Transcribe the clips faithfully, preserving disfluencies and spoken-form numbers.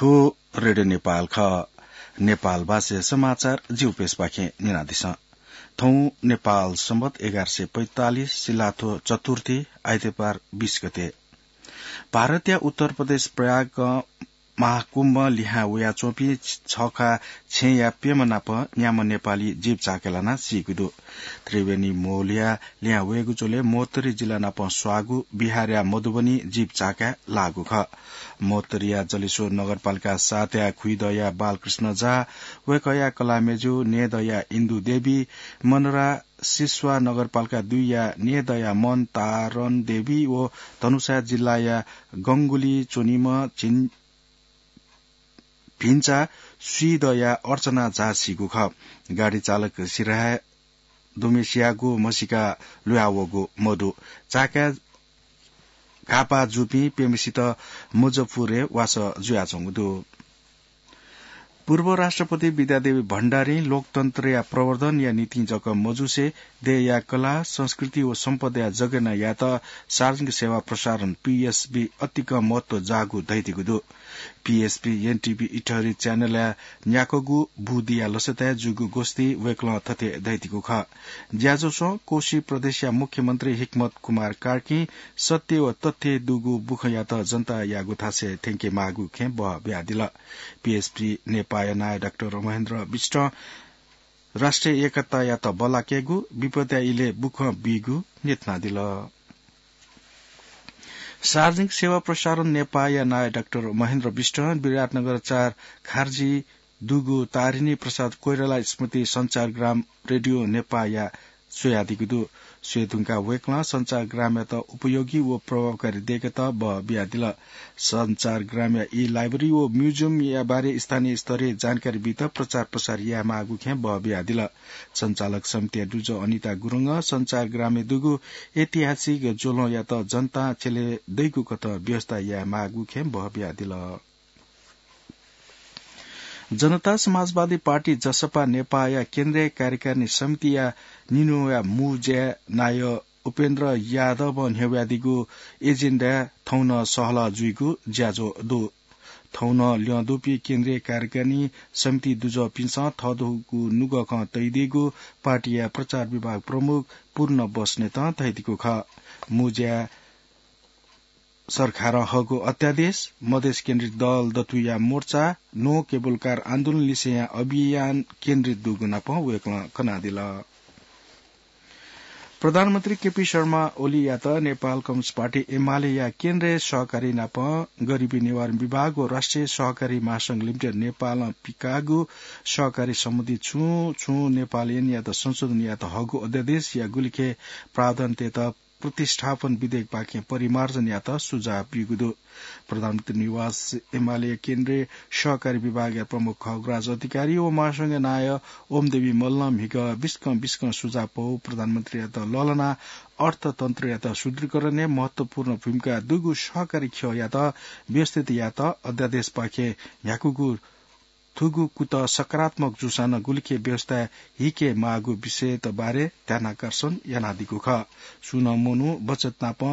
थ्व रेडियो नेपाल खः। नेपाल भाषाया समाचार जिगु पेजपाखें न्यनादिसँ। थौं नेपाल संवत एघार सय पैंतालिस सिलाथ्व चतुर्थी आइतबार बीस गते। भारतया उत्तर प्रदेश प्रयागं महाकुम्भ लिहां वयाच्वंपिं छखा छेँया प्यम्ह नाप न्याम्ह नेपाली जीव चाकाय् लानाः सीगु दु। त्रिवेणी म्होलिया लिहां वयेगु झ्वलय् महोत्तरी जिल्ला नाप स्वाःगु बिहारया मधुबनी जीव चाकाय् लाःगु खः। महोत्तरीया जलेश्वर नगरपालिका सातया खुइदँया बालकृष्ण झा, वय्कःया कलाः मय्जु नेदँया इन्दु देवी, मनरा सिस्वा नगरपालिका दुईया नेदँया मन तारन देवी व धनुषा जिल्लाया गंगुली च्वनीम्ह झिन भिन्चा स्वीदँया अर्चना झा सीगु खः। गाडी चालक सिराहाय् दुम्हेसियागु म्हसीका लुयावःगु मदु। चाकाय् घाःपाः जूपिं प्यम्हेसित मुजफ्फरपुरय् वासः जुयाच्वंगु दु। पूर्व राष्ट्रपति विद्यादेवी भण्डारीं लोकतन्त्रया प्रवर्धनया निंतिं जक मजुसे देय्या कला, संस्कृति व सम्पदाया जगेर्ना यायेत सार्वजनिक सेवा प्रसारण, पीएसबी, अतिकं महत्व जाःगु धयादीगु दु। पीएसबी एनटीभी इटहरी च्यानलया न्याक्वःगु बूदिया लसताय् जूगु गोष्ठी वय्कलं थथे धयादीगु खः। ज्याझ्वलय् कोशी प्रदेशया मुख्यमन्त्री हिक्मत कुमार कार्कीं सत्य व तथ्य दुगु बुखँयात जनतायागु थासय् थ्यंके माःगु खँय् बः बियादिल। पीएसबी नेपाःया नायः डाक्टर महेन्द्र विष्टं राष्ट्रिय एकतायात बल्लाकेगु, विपदया इलय् बुखँ बीगु न्ह्यथनादिल। सार्वजनिक सेवा प्रसारण नेपाःया नायः डाक्टर महेन्द्र विष्टं विराटनगर चार खार्जी दुगु तारिणी प्रसाद कोइराला स्मृति सञ्चारग्राम रेडियो नेपाःया स्वयादीगु दु। स्वये धुंकाः वय्कलं सञ्चारग्रामयात उपयोगी व प्रभावकारी देय्केत बः बियादिल। सञ्चारग्रामया ई-लाइब्रेरी व म्युजियमया बारे स्थानीय स्तरय् जानकारी बीत प्रचार प्रसार यायेमाःगु खँय् बः बियादिल। सञ्चालक समितिया दुजः अनिता गुरुङं सञ्चारग्रामय् दुगु ऐतिहासिक ज्वलंयात जनतां छ्यले दइगु कथं व्यवस्था यायेमाःगु खँय् बः बियादिल। जनता समाजवादी पार्टी, जसपा, नेपाःया केन्द्रीय कार्यकारिणी समितिया निन्हुया मू ज्या नायः उपेन्द्र यादवं न्ह्यब्वयादीगु एजेन्डाय् थौं नं सहलह जुइगु ज्याझ्वः दु। थौं नं ल्यं दुपिं केन्द्रीय कार्यकारिणी समिति दुजःपिन्सं थःथःगु नुगः खँ तयादीगु पार्टीया प्रचार विभाग प्रमुख पूर्ण बस्नेतं धयादीगु खः। मू ज्या सरकारं हःगु अध्यादेश, मधेस केन्द्रित दल दथुया मोर्चा, नो केबुल कार आन्दोलन लिसेया अभियान केन्द्रित दुगु नाप वय्कलं कनादिल। प्रधानमन्त्री केपी शर्मा ओलीयात नेपाल कम्युनिस्ट पार्टी एमालेया केन्द्रीय सहकारी नाप गरिबी निवारण विभाग व राष्ट्रिय सहकारी महासंघ लिमिटेड नेपालं पिकाःगु सहकारी सम्बन्धी छुं छुं नेपाल ऐनयात संशोधन यायेत हःगु अध्यादेशया गुलिखे प्रावधान तयेत प्रतिष्ठापन विधेयकपाखें परिमार्जन यायेत सुझाव ब्यूगु दु। प्रधानमन्त्री निवास एमाले केन्द्रीय सहकारी विभागया प्रमुख खगराज अधिकारी व महासंघया नायः ओमदेवी मल्लं म्हिगः बिस्कं बिस्कं सुझाव पौ प्रधानमन्त्रीयात लःल्हानाः अर्थतन्त्रयात सुदृढीकरणय् महत्वपूर्ण भूमिका दुगु सहकारी ख्यःयात व्यवस्थित यायेत अध्यादेशपाखें न्ह्याकूगु थुगु कुतः सकारात्मक जूसां नं गुलिखे व्यवस्था हिके माःगु विषयत बारे ध्यानाकर्षण यानादीगु खः। सुं नं मनू बचत नाप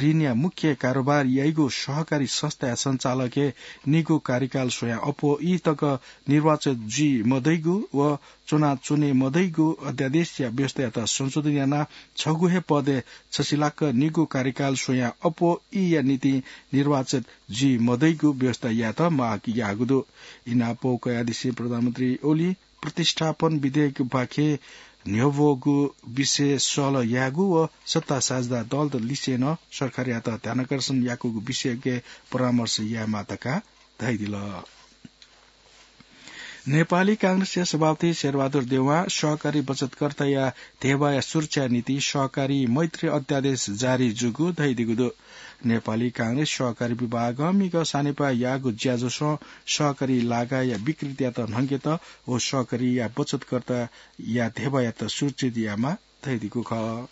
ऋणया मुख्य कारोबार याइगु सहकारी संस्थाया सञ्चालकय् निगू कार्यकाल स्वयां अप्वः ई तक निर्वाचित जुइ मदइगु व च्वनाच्वने मदइगु अध्यादेशया व्यवस्थायात संशोधन यानाः छगू हे पदय् छसिलाक्क निगू कार्यकाल स्वयां अप्वः ईया निंतिं निर्वाचित जुइ मदइगु व्यवस्था यायेत माग याःगु दु। इनाप कयादिसें प्रधानमन्त्री ओली प्रतिष्ठापन विधेयकपाखें न्ह्यब्वःगु विषय सहलह यायेगु व सत्ता साझेदार दलत लिसें नं सरकारयात ध्यानाकर्षण याकूगु विषयके परामर्श यायेमाः धकाः धयादिल। नेपाली कांग्रेसया सभापति शेरबहादुर देउवां सहकारी बचतकर्ताया धेबाया सुरक्षाया निंतिं सहकारी मैत्री अध्यादेश जारी जूगु धयादीगु दु। नेपाली कांग्रेस सहकारी विभागं म्हिगः सानेपाः याःगु ज्याझ्वलय् सहकारी लागाया विकृतियात न्हंकेत व सहकारीया बचतकर्ताया धेबायात सुरक्षित यायेमाः धयादीगु खः।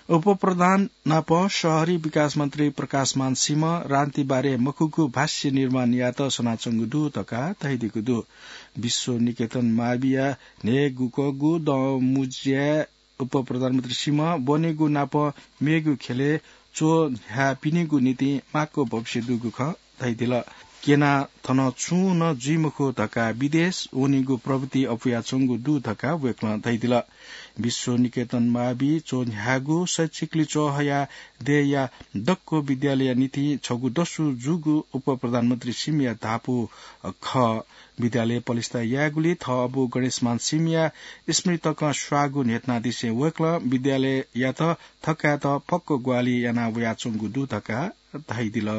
उपप्रधान नाप शहरी विकास मन्त्री प्रकाशमान सिंहं रान्तिबारे मखुगु भाष्य निर्माण यायेत सनाच्वंगु दु धकाः धयादीगु दु। विश्व निकेतन माविया न्हय्‌गुकगु दँ मुँज्याय् उपप्रधानमन्त्री सिंहं ब्वनेगु नाप मेगु ख्यलय् च्वहां पिनेगु निंतिं माक्व भविष्य दुगु खँ धयादिल। केना थन छुं नं जुइ मखु धकाः विदेश वनेगु प्रवृत्ति अपुयाच्वंगु दु धकाः वय्कलं धयादिल। विश्व निकेतन मावि च्वन्ह्यागु शैक्षिक लिच्वः हयाः देय्‌या दक्व विद्यालयया निंतिं छगू दसु जूगु उपप्रधानमन्त्री सिमया धापू खः। विद्यालय पलिस्था यायेगुली थःबु गणेशमान सिमया स्मृति तकं स्वाःगु न्ह्यथनादिसें वय्कलं विद्यालययात थकायेत फक्व ग्वाहालि याना वयाच्वंगु दु धकाः धयादिल।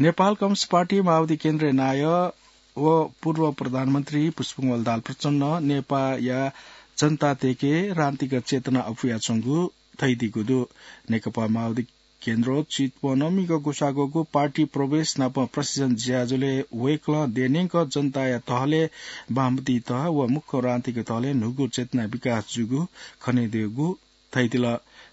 नेपाल कम्युनिस्ट पार्टी माओवादी केन्द्रया नायः व पूर्व प्रधानमन्त्री पुष्पकमल दाहाल प्रचण्डं नेपाःया जनताय्‌के क्रान्तिक चेतना अपुयाच्वंगु धयादीगु दु। नेकपा माओवादी केन्द्र चितवनं म्हिगः ग्वसाः ग्वःगु पार्टी प्रवेश नाप प्रशिक्षण ज्याझ्वलय् वय्कलं देय्‌न्यंक जनताया तहलय्, वामपन्थी तह व मुख्य राजनीतिक तहलय् न्हूगु चेतना विकास जूगु खनेदीगु धयादिल।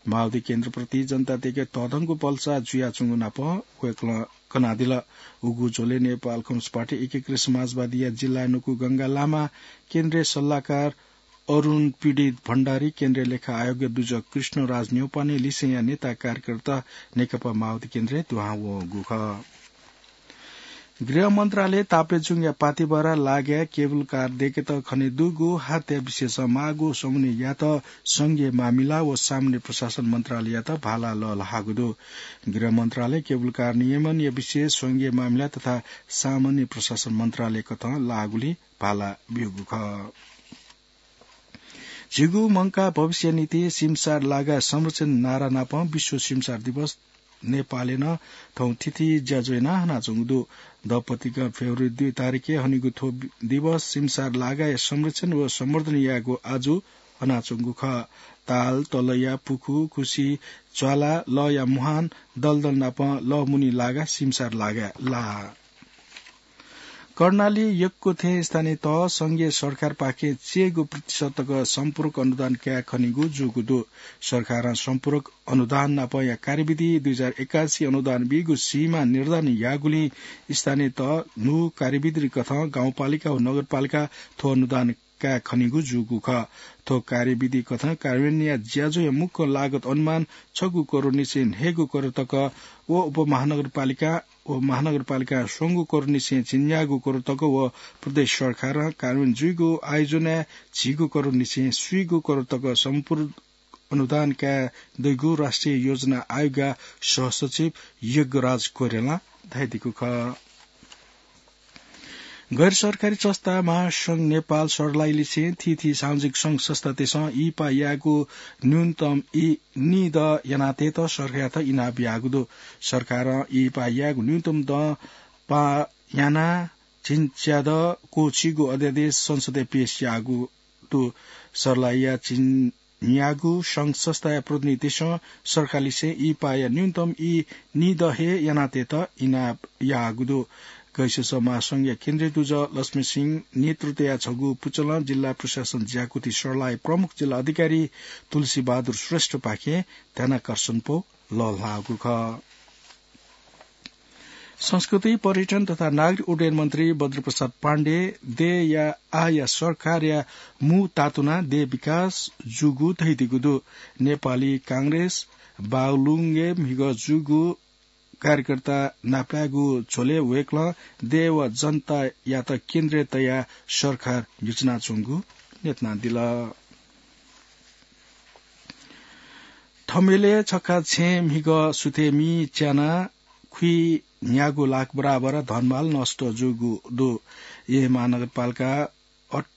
माओवादी केन्द्रप्रति जनताय्‌के तःधंगु भलसा जुयाच्वंगु नाप वय्कलं कनादिल। उगु झ्वलय् नेपाल कम्युनिस्ट पार्टी एकीकृत समाजवादीया जिल्ला न्वकू गंगा लामा, केन्द्रीय सल्लाहकार अरुण पीडित भण्डारी, केन्द्रीय लेखा आयोगया दुजः कृष्णराज न्यौपाने लिसेंया नेता कार्यकर्ता नेकपा माओवादी केन्द्रय् दुहां वंगु खः। गृह मन्त्रालय ताप्लेजुङया पातिबारा लागाय् केबुल कार दय्‌केत खनेदुगु हत्या विषयस माःगु समन्वय यायेत संघीय मामिला व सामान्य प्रशासन मन्त्रालययात भाला लःल्हाःगु दु। गृह मन्त्रालय केबुल कार नियमनया विषय संघीय मामिला तथा सामान्य प्रशासन मन्त्रालय कथं लाःगुली भाला ब्यूगु खः। झीगु मंकाः भविष्य निंतिं सिमसार लागाय् संरक्षण नारा नापं विश्व सिमसार दिवस नेपालय् नं थौं थीथी ज्याझ्वः यानाः हनाच्वंगु दु। दंपतिकं फेब्रुअरी दुई तारिखय् हनीगु थ्व दिवस सिमसार लागाया संरक्षण व सम्वर्धन यायेगु आजु हनाच्वंगु खः। ताल, तलया पुखू, खुसी, ज्वाला, लःया मुहान, दलदल नाप लःमुनि लागा सिमसार लागाय् लाः। कर्णाली यक्व थें स्थानीय तह संघीय सरकारपाखें चय्‌गू प्रतिशत तक सम्पूरक अनुदान काये खनीगु जूगु दु। सरकारं सम्पूरक अनुदान नापया कार्यविधि दुई हजार एकासी अनुदान बीगु सीमा निर्धारण याःगुलिं स्थानीय तह न्हू कार्यविधि कथं गाउँपालिका व नगरपालिका थ्व अनुदान काये खनीगु जूगु खः। थ्व कार्यविधि कथं कार्यान्वयनया ज्याझ्वःया मुख्य लागत अनुमान छगू करोड निसें न्हय्‌गू करोड तक व उपमहानगरपालिका व महानगरपालिकां स्वंगू करोड निसें झिंन्यागू करोड तक व प्रदेश सरकारं कार्यान्वयन जुइगु आयोजनाय् झिंगू करोड निसें स्वीगू करोड तक सम्पूर्ण अनुदान काये दइगु राष्ट्रिय योजना आयोगया सहसचिव यज्ञराज कोइरालां धयादीगु खः। गैर सरकारी संस्था महासंघ नेपाल सर्लाहीलिसें थीथी सामाजिक संघ संस्थातय्‌सं इहिपा यायेगु न्यूनतम ई निदँ यानातयेत सरकारयात इनाप याःगु दु। सरकारं इहिपा यायेगु न्यूनतम दँ पाः यानाः झिंच्यादँ क्वःछीगु अध्यादेश संसदय् पेश याःगु दु। सर्लाहीया झिं न्यागू संघ संस्थाया प्रतिनिधितय्‌सं सरकारलिसें इहिपाया न्यूनतम ई निदँ हे यानातयेत इनाप याःगु दु। गैसस महासंघया केन्द्रीय दुजः लक्ष्मी सिंह नेतृत्वया छगू पुचलं जिल्ला प्रशासन ज्याकुथि सर्लाही प्रमुख जिल्ला अधिकारी तुलसी बहादुर श्रेष्ठपाखें ध्यानाकर्षण पौ लःल्हाःगु खः। संस्कृति, पर्यटन तथा नागरिक उड्डयन मन्त्री बद्रप्रसाद पाण्डे देय्‌या आःया सरकारया मू तातुनाः देय् विकास जूगु धयादीगु दु। नेपाली कांग्रेस बागलुङय् म्हिगः जूगु कार्यकर्ता नापलायेगु झ्वलय् वय्‌कलं देय् व जनतायात केन्द्रय् तयाः सरकार न्ह्यचिनाच्वंगु न्ह्यथनादिल। थमेलय् छखा छेँय् म्हिगः सुथय् मि च्यानाः खुइन्यागू लाख बराबर धनमाल नष्ट जूगु दु। येँ महानगरपालिका अठ-,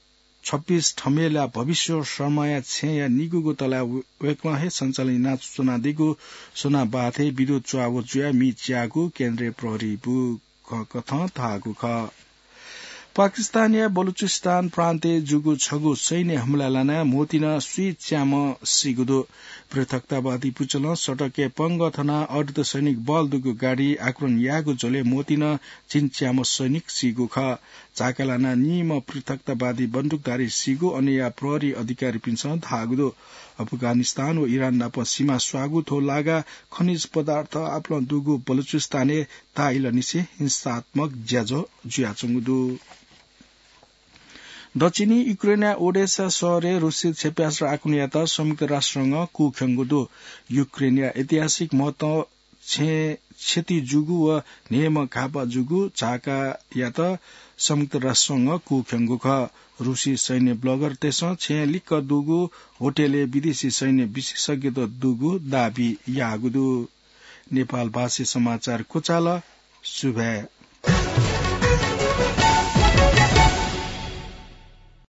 छब्बीस थमेलया भविश्वर शर्माया छेँया निगूगु तलाय् वय्‌कलं हे सञ्चालन यानाच्वनादीगु सोनाबाथय् विद्युत च्वाः व जुयाः मि च्याःगु केन्द्रीय प्रहरी बु- क-, कथं धाःगु खः। पाकिस्तानया बलुचिस्तान प्रान्तय् जूगु छगू सैन्य हमला लानाः म्होतिन स्वीच्याम्ह सीगु दु। पृथकतावादी पुचलं सडकय् पंगः थनाः अर्धसैनिक बल दुगु गाडी आक्रमण याःगु झ्वलय् म्होतिन झिंच्याम्ह सैनिक सीगु खः। झाका लानाः निम्ह पृथकतावादी बन्दुकधारी सीगु अनया प्रहरी अधिकारीपिन्सं धाःगु दु। अफगानिस्तान व इरान नाप सीमा स्वाःगु थ्व लागा खनिज पदार्थ आपालं दुगु बलुचिस्तानय् ताःइलंनिसें हिंसात्मक ज्याझ्वः जुयाच्वंगु दु। दक्षिणी युक्रेनया ओडेसा शहरय् रूसी क्षेप्यास्त्र आक्रमणयात संयुक्त राष्ट्रसंघं कुःख्यंगु दु। युक्रेनया ऐतिहासिक महत्व छेँ क्षति जूगु व न्हय्म्ह घाःपाः जूगु झाकायात संयुक्त राष्ट्र संघं कूख्यंगु खः। रूसी सैन्य ब्लगरतय्सं छेँ लिक्क दुगु होटलय् विदेशी सैन्य विशेषज्ञत दुगु दाबी याःगु दु। नेपालभाषी समाचार क्वचाल। सुभाय्।